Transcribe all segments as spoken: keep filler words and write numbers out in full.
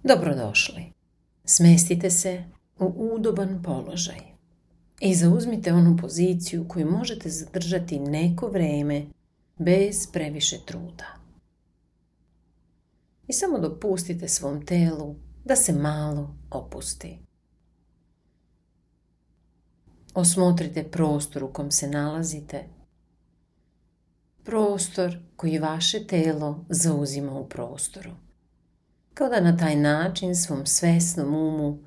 Dobrodošli. Smestite se u udoban položaj i zauzmite onu poziciju koju možete zadržati neko vrijeme bez previše truda. I samo dopustite svom telu da se malo opusti. Osmotrite prostor u kom se nalazite, prostor koji vaše telo zauzima u prostoru. Kao da na taj način svom svesnom umu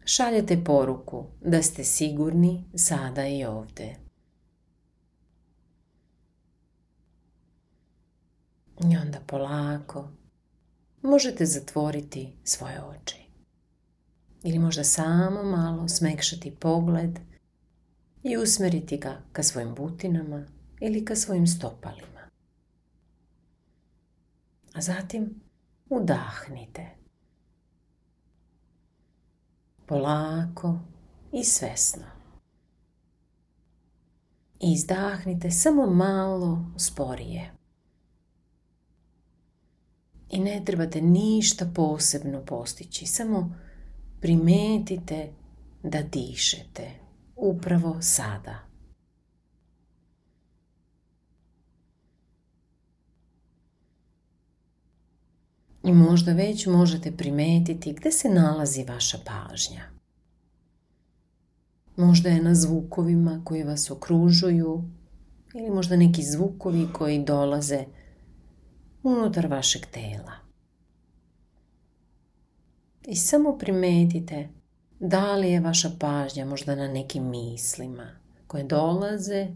šaljete poruku da ste sigurni sada i ovdje. I onda polako možete zatvoriti svoje oči. Ili možda samo malo smekšati pogled i usmjeriti ga ka svojim butinama ili ka svojim stopalima. A zatim udahnite. Polako i svesno. I izdahnite samo malo sporije. I ne trebate ništa posebno postići, samo primetite da dišete upravo sada. I možda već možete primetiti gdje se nalazi vaša pažnja. Možda je na zvukovima koji vas okružuju ili možda neki zvukovi koji dolaze unutar vašeg tela. I samo primetite da li je vaša pažnja možda na nekim mislima koje dolaze,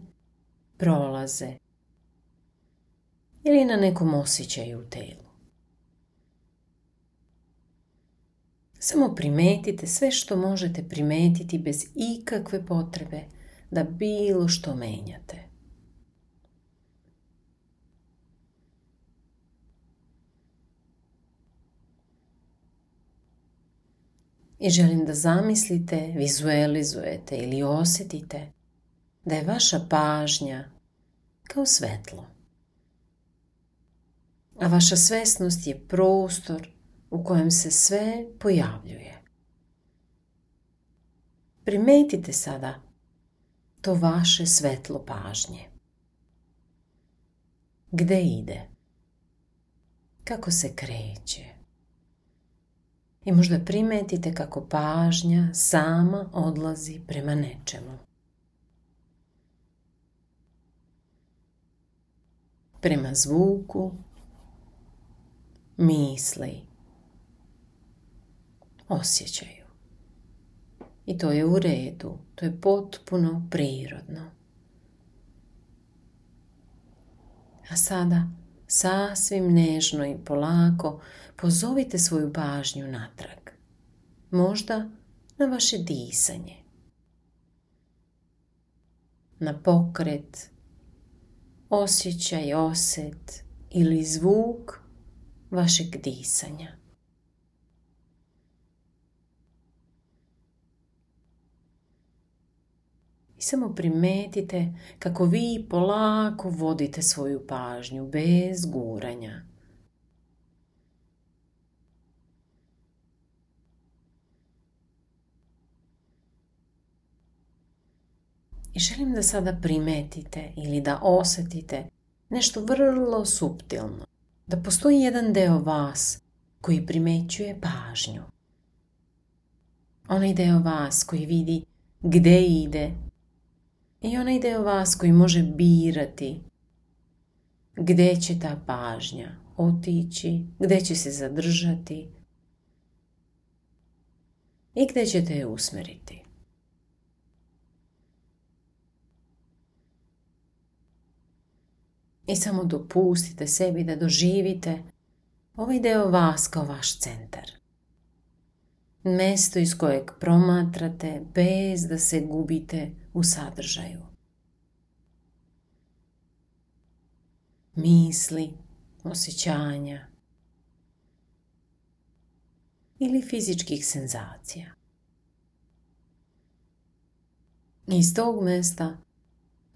prolaze ili na nekom osjećaju u telu. Samo primetite sve što možete primetiti bez ikakve potrebe da bilo što menjate. I želim da zamislite, vizualizujete ili osjetite da je vaša pažnja kao svetlo. A vaša svesnost je prostor u kojem se sve pojavljuje. Primetite sada to vaše svetlo pažnje. Gde ide? Kako se kreće? I možda primetite kako pažnja sama odlazi prema nečemu. Prema zvuku, misli, osjećaju. I to je u redu, to je potpuno prirodno. A sada sasvim nežno i polako pozovite svoju pažnju natrag. Možda na vaše disanje. Na pokret, osjećaj, osjet ili zvuk vašeg disanja. I samo primetite kako vi polako vodite svoju pažnju bez guranja. I želim da sada primetite ili da osjetite nešto vrlo suptilno. Da postoji jedan deo vas koji primećuje pažnju. Onaj deo vas koji vidi gde ide i onaj deo vas koji može birati gde će ta pažnja otići, gde će se zadržati i gde ćete je usmeriti. I samo dopustite sebi da doživite ovaj deo vas kao vaš centar. Mesto iz kojeg promatrate bez da se gubite u sadržaju. Misli, osjećanja ili fizičkih senzacija. Iz tog mesta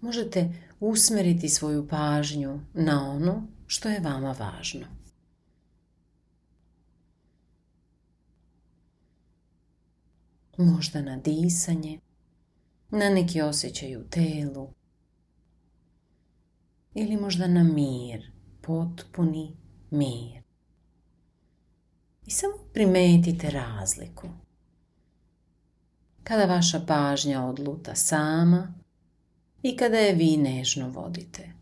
možete usmjeriti svoju pažnju na ono što je vama važno. možda na disanje, na neki osjećaj u telu ili možda na mir, potpuni mir. I samo primetite razliku. Kada vaša pažnja odluta sama i kada je vi nežno vodite.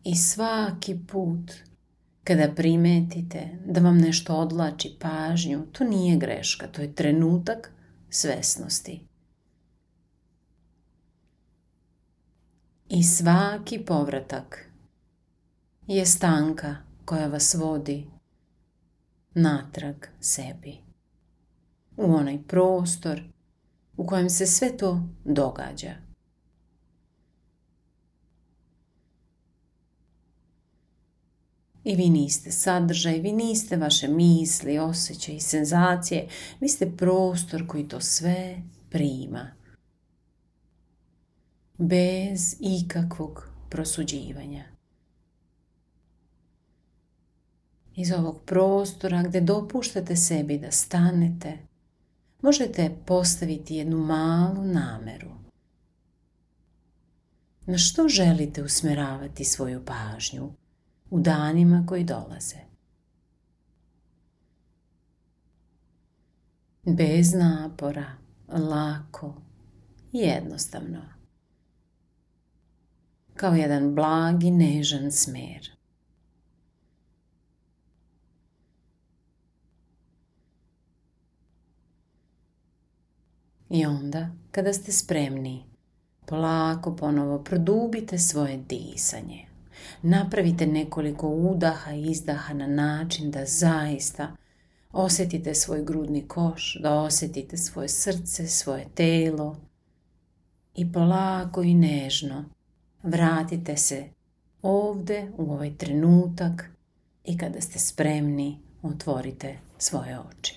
I svaki put kada primetite da vam nešto odvlači pažnju, to nije greška, to je trenutak svesnosti. I svaki povratak je stanka koja vas vodi natrag sebi, u onaj prostor u kojem se sve to događa. I vi niste sadržaj, vi niste vaše misli, osjećaje i senzacije, vi ste prostor koji to sve prima. Bez ikakvog prosuđivanja. Iz ovog prostora gdje dopuštate sebi da stanete, možete postaviti jednu malu nameru. Na što želite usmjeravati svoju pažnju u danima koji dolaze? Bez napora, lako i jednostavno. Kao jedan blagi, nežan smjer. I onda, kada ste spremni, polako ponovo produbite svoje disanje. Napravite nekoliko udaha i izdaha na način da zaista osjetite svoj grudni koš, da osjetite svoje srce, svoje telo i polako i nežno vratite se ovdje u ovaj trenutak i kada ste spremni, otvorite svoje oči.